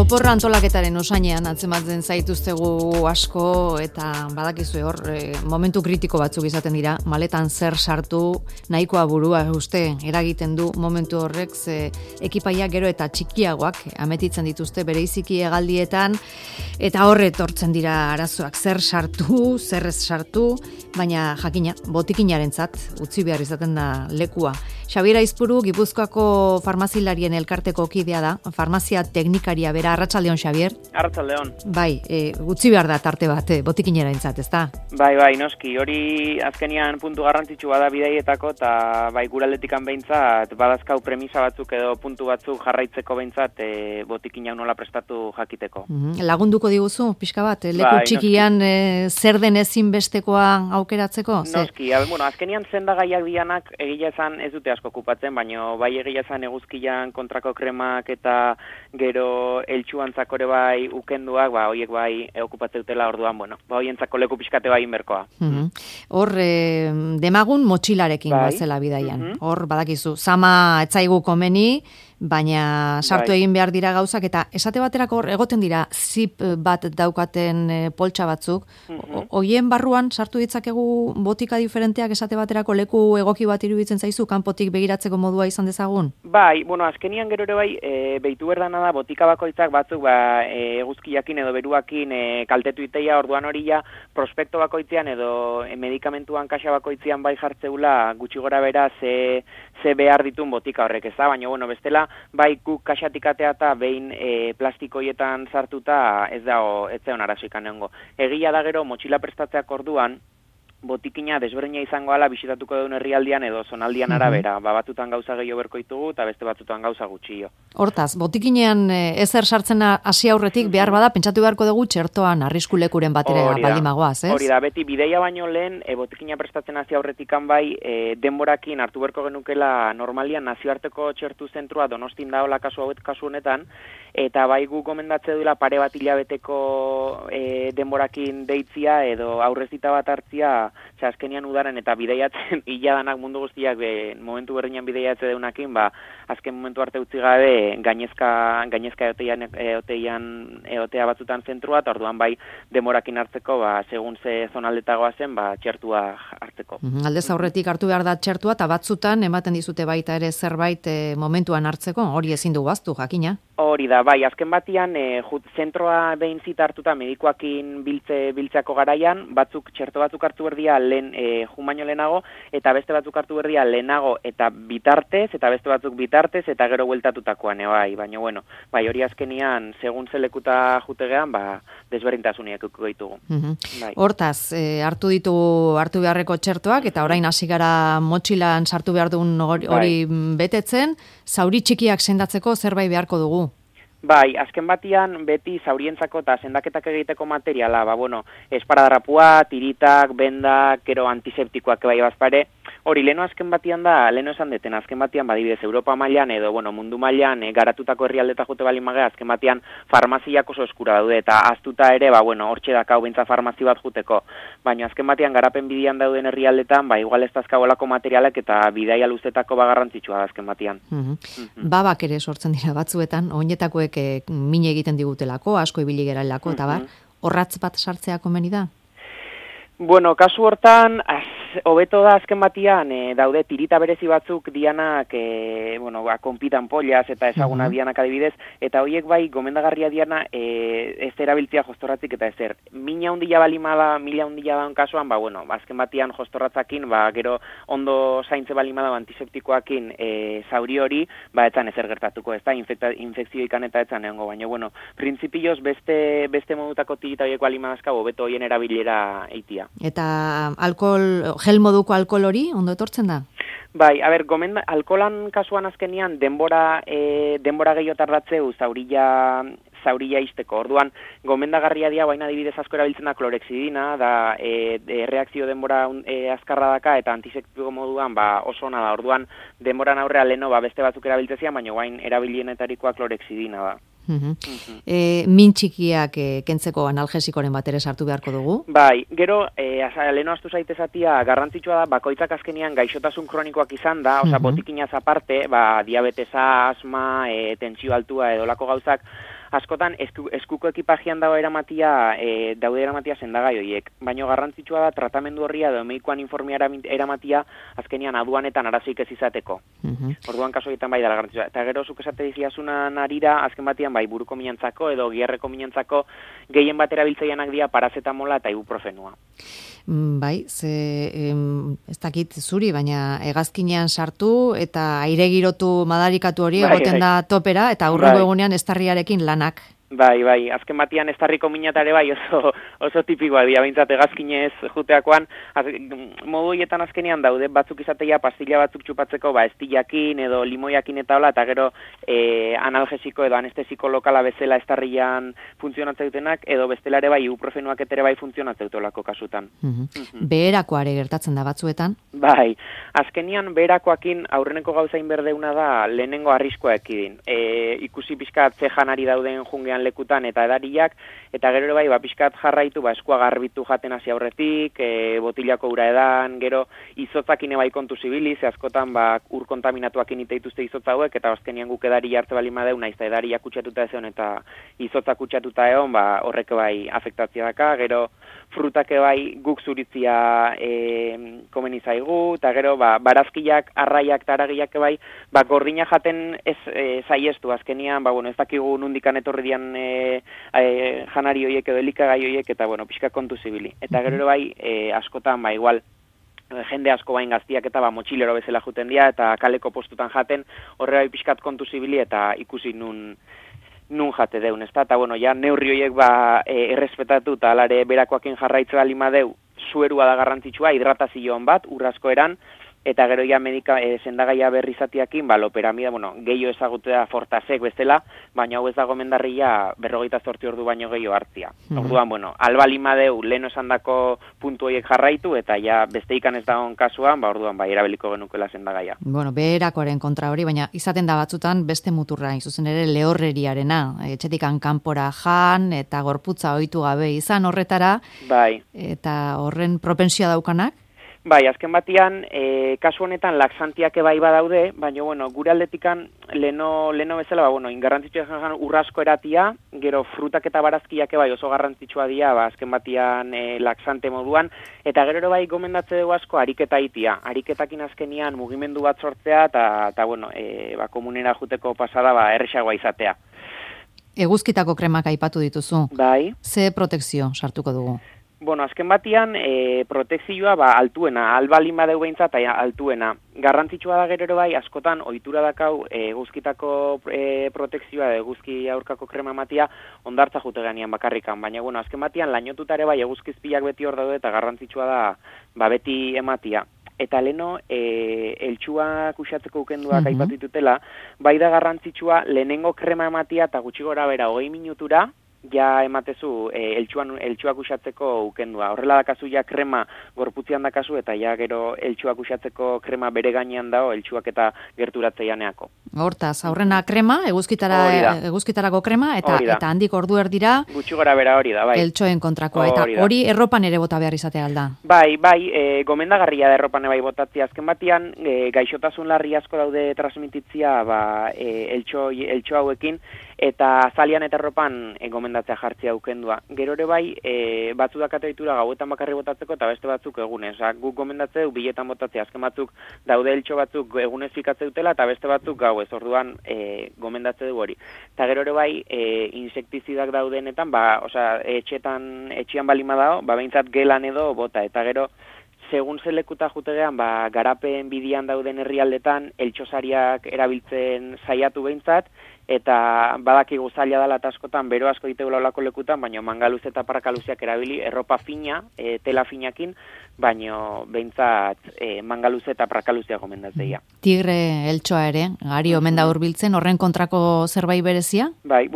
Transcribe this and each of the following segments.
Oporra antolaketaren osainean atzematzen zaituztegu asko eta badakizu hor momentu kritiko batzuk izaten dira, maletan zer sartu nahikoa burua uste eragiten du momentu horrek ekipaia gero eta txikiagoak ametitzen dituzte bereiziki hegaldietan eta horre etortzen dira arazoak zer sartu, zer ez sartu, baina jakina botikinarentzat utzi behar izaten da lekua. Xabier Aizpuru Gipuzkoako farmazilarien elkarteko kidea da, farmazia teknikaria bera. Arratsaldeon, Xabier. Arratsaldeon. Bai, utzi behar da tarte bat botikinerarentzat, ezta? Bai, noski, hori azkenian puntu garrantzitsu bada bidaietako eta bai guraldetikan behintzat badazkau premisa batzuk edo puntu batzuk jarraitzeko behintzat botikin hau nola prestatu jakiteko. Lagunduko diguzu, pixka bat, leku txikian zer den ezinbestekoa aukeratzeko? Noski, azkenian sendagaiak dianak egia esan ez dute asko okupatzen, baina bai egia esan eguzkian kontrako kremak eta gero eltsuantzako ere bai ukenduak, horiek bai okupatzen dutela orduan, horientzako leku pixkate bai inberkoa. Hor, demagun motxilarekin bazela bidaian. Hor, badakizu, zama etzaigu komeni, baina sartu egin behar dira gauzak, eta esate baterako egoten dira zip bat daukaten poltsa batzuk, hoien barruan sartu ditzakegu botika diferenteak esate baterako leku egoki bat iruditzen zaizu, kanpotik begiratzeko modua izan dezagun? Bai, azkenian gero ere bai, behitu berdana da, botika bakoitzak batzuk eguzkiakin edo beruakin kaltetu iteia, orduan hori ja, prospekto bakoitzean edo medikamentuan kaxa bakoitzean bai jartzeula gutxi gora bera ze behar ditun botika horrek, ez da? Baina, bestela, bai guk kaxatik atea eta behin plastikoietan sartuta ez zeon arazoikan egongo. Egia da gero, motxila prestatzeak orduan, botikina desberdina izango ala bisitatuko duen herrialdian edo zonaldian arabera. Batutan gauza gehiago berko ditugu eta beste batzutan gauza gutxio. Hortaz, botikinean ezer sartzen hasi aurretik behar bada pentsatu beharko dugu txertoan arriskulekuren batera baldimagoaz, ez? Hori da, beti bideia baino lehen botikina prestatzen hasi aurretikan bai denborakin hartu beharko genukela normalian nazioarteko txertu zentrua Donostin daola kasu honetan, eta bai gu gomendatze duela pare bat hilabeteko denborakin deitzia edo aurrezita bat hartzia azkenian udaren eta bideiatzen hiladanak mundu guztiak momentu berdinean bideiatze deunakin, azken momentu arte utzi gabe gainezka eotea batzutan zentrua, eta orduan bai demorakin hartzeko, segun ze zonaldetagoa zen, txertua hartzeko. Aldez aurretik hartu behar da txertua, eta batzutan ematen dizute baita ere zerbait momentuan hartzeko, hori ezin dugu aztu, jakina? Hori da, bai, azken batian, zentroa behin zita hartuta medikoakin biltzeako garaian, txerto batzuk hartu berdia lehen baino lehenago, eta beste batzuk hartu berdia lehenago eta bitartez, eta beste batzuk bitartez, eta gero bueltatutakoan, baina, bai, hori azkenian, segun zelekuta jutegean, desberdintasuniak ikuko ditugu. Hortaz, hartu beharreko txertoak, eta orain hasi gara motxilan sartu behar duen hori betetzen, zauri txikiak sendatzeko zerbait beharko dugu. Bai, azken batian beti zaurientzako eta sendaketak egiteko materiala, esparadrapua, tiritak, bendak, gero antiseptikoak bai bazpare, hori leno azken batian da, leno esan deten, azken batian badibidez Europa mailan edo mundu mailan garatutako herrialdeta jote balin magea, azken batian farmaziak oso eskura daude, eta aztuta ere, hortxe dakau bentsa farmazi bat juteko, baina azken batian garapen bidian dauden herrialdetan, igual ez dazkabolako materialak eta bidaia luzetako garrantzitsua da azken batian. Babak ere sortzen dira batzuetan, oinetakoek mine egiten digutelako, asko ibili geralako, eta horratz bat sartzea komeni da? Kasu hortan, hobeto da azken batian, daude tirita berezi batzuk dianak, konpitan poliaz eta ezaguna dianak adibidez, eta horiek bai gomendagarria diana ez erabiltzia jostorratzik eta ezer. Mina hundila balimada, mila hundila daun kasuan, azken batian jostorratzakin, gero ondo zaintze balimada antiseptikoakin zauri hori, etzan ezer gertatuko, ez da, infekzioikan eta etzan egongo, baina, printzipioz beste modutako tirita horiek balimadazka, hobeto horien erabilera eitia. Eta gel moduko alkohol hori, ondo etortzen da? Bai, alkoholan kasuan azkenian denbora gehiago tardatzeu zaurilla izteko. Orduan, gomendagarria dia, baina adibidez asko erabiltzen da klorexidina, da reakzio denbora azkarra daka, eta antiseptiko moduan oso ona da. Orduan, denboran aurrea leno beste batzuk erabiltzezian, baina guain erabilienetarikoa klorexidina da. Min txikiak kentzeko analgesikoren bat ere sartu beharko dugu? Bai, gero, leheno astu zaitezatia, garrantzitsua da, bakoitzak azkenian gaixotasun kronikoak izan da, botikinaz aparte, diabetesa, asma, tentsio altua edolako gauzak, askotan eskuko ekipajean daude eramatia sendagai horiek, baina garrantzitsua da tratamendu horria edo medikuan informea eramatia azkenian aduanetan arazoik ez izateko. Orduan kasu egiten bai dela garrantzitsua. Eta gero zuk esate diziazuna narira, azken batean bai buruko minantzako edo giarreko minantzako gehien bat erabiltzaianak dira parazetamola eta ibuprofenua. Bai, ez dakit zuri, baina hegazkinean sartu eta aire girotu madarikatu hori egoten da topera eta aurrengo egunean estarriarekin lanak. Bai, azken batean estarriko minatare bai oso tipikoa dira, behintzat hegazkinez juteakoan, modu horietan azkenean daude, batzuk izateia pastilla batzuk txupatzeko, estillakin edo limoiakin eta hola, eta gero analgesiko edo anestesiko lokala bezala estarrian funtzionatzen dutenak, edo bestelare bai ibuprofenuak etere bai funtzionatzen dutolako kasutan. Beherakoare gertatzen da batzuetan? Bai, azkenian beherakoakin aurreneko gauzain berdeuna da lehenengo arriskoa ekidin. Ikusi pixkat ze janari dauden jungean lekutan eta edariak, eta gero bai, pixkat jarraitu, eskua garbitu jaten hasi aurretik, botilako ura edan, gero izotzakin bai kontu zibili, ze askotan ur kontaminatuakin iteituzte izotza hauek, eta azkenian guk edari hartze bali madeu, naiz eta edariak kutsatuta ezeon eta izotzak kutsatuta egon, horrek bai afektatzia daka, gero frutak bai guk zuritzia komeni zaigu, eta gero barazkiak, arraiak eta aragiak bai, gordina jaten ez zaiestu, azkenian, ez dakigu nundikan etorri dian janari horiek edo elikagai horiek, eta pixka kontu zibili. Eta gero bai, askotan, igual, jende asko bain gaztiak eta motxilero bezala juten dira, eta kaleko postutan jaten, horre bai pixkat kontu zibili, eta ikusi nun jate deun, ez da? Eta, ja, neurri horiek errespetatu, eta alare berakoakin jarraitze bali madeu, suerua da garrantzitsua, hidratazioan bat, urrazko eran, eta gero ja sendagaia berrizatiakin, loperamida, gehiago ezagutea fortasek bezala, baina hau ez dago mendarria 48 ordu baino gehiago hartzia. Orduan, albali madeu lehen esandako puntu horiek jarraitu, eta ja beste ikan ez dagoen kasuan, orduan erabiliko genukela sendagaia. Beherakoaren kontra hori, baina izaten da batzutan beste muturra, zuzen ere lehorreriarena, etxetikan kanpora jan, eta gorputza ohitu gabe izan horretara, eta horren propensioa daukanak? Bai, azken batean, kasu honetan laxantiak bai badaude, baina, gure aldetikan, leno bezala, ingarrantzitsua jan urrazko eratia, gero frutak eta barazkiak bai oso garrantzitsua dira, azken batean laxante moduan, eta gero bai gomendatze dugu asko ariketa itia. Ariketakin azkenian mugimendu bat sortzea, eta komunera juteko pasada, erresagoa izatea. Eguzkitako kremak aipatu dituzu. Bai. Ze protekzio sartuko dugu? Azken batean, protekzioa altuena, albalin badeu behintzat, altuena. Garrantzitsua da gero bai, askotan, ohitura dakau eguzkitako protekzioa, eguzki aurkako krema ematia, ondartza jute ganean bakarrikan. Baina, azken batean, lainotutare bai, eguzkizpilak beti hor daude, eta garrantzitsua da, beti ematia. Eta leno, eltsuak usatzeko ukenduak aipatu ditutela, bai da garrantzitsua, lehenengo krema ematia, eta gutxi gora bera, 20 minutura, ja ematezu eltsuak usatzeko ukendua. Horrela dakazu ja krema gorputzean dakazu eta ja gero eltsuak usatzeko krema bere gainean dago eltsuak eta gerturatzeianeako. Hortaz, aurrena krema, eguzkitarako krema eta handik ordu erdira gutxi gora bera hori da, bai. Eltsoen kontrakoa eta hori erropan ere bota behar izatea alda. Bai, gomendagarria da erropan bai botatzea. Azken batean gaixotasun larri asko daude transmititzia eltso hauekin eta zalian eta erropan gomendatzea jartzea ukendua. Gero ere bai, batzu dakate ditura gauetan bakarri botatzeko eta beste batzuk egunez. Guk gomendatzeu biletan botatzea, azken batzuk daude eltso batzuk egunez fikatze dutela eta beste batzuk gauez, orduan gomendatze du hori. Eta gero ere bai, insektizidak daudenetan, etxean balima dago, behintzat gelan edo bota, eta gero segun zelekuta jutegean, garapen bidian dauden herrialdetan, eltxosariak erabiltzen saiatu behintzat, eta badakigu zaila dela eta askotan bero asko diteula olako lekutan, baina mangaluz eta parrakaluziak erabili, erropa fina, tela finakin, baina behintzat mangaluz eta parrakaluzia gomendatzea. Tigre eltsoa ere, gari omen da hurbiltzen, horren kontrako zerbait berezia? Bai,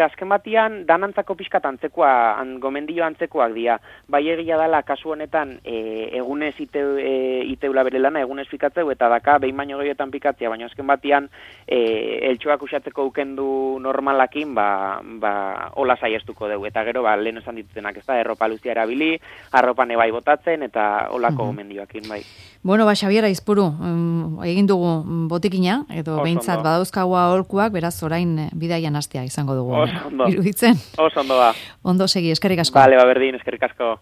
azken batian, danantzako pixkat antzekoa, gomendio antzekoak dira. Bai egia dela, kasu honetan, egunez iteula bere lana, egunez pikatzeu, eta daka, behin baino gehiotan pikatzea, baina azken batian, eltsoak usatzeko ukendu normalakin, hola saiestuko dugu. Eta gero, lehen esan ditutenak, ez da, erropa luzia erabili, arropan ebai botatzen, eta eta olako gomendioakin, bai. Bueno, Xabier Aizpuru, egin dugu botikina, edo behintzat badauzkagu aholkuak, beraz orain bidaian hastea izango dugu. Oso ondo. Iruditzen? Oso ondo ba. Ondo segi, eskerrik asko. Bale, berdin, eskerrik asko.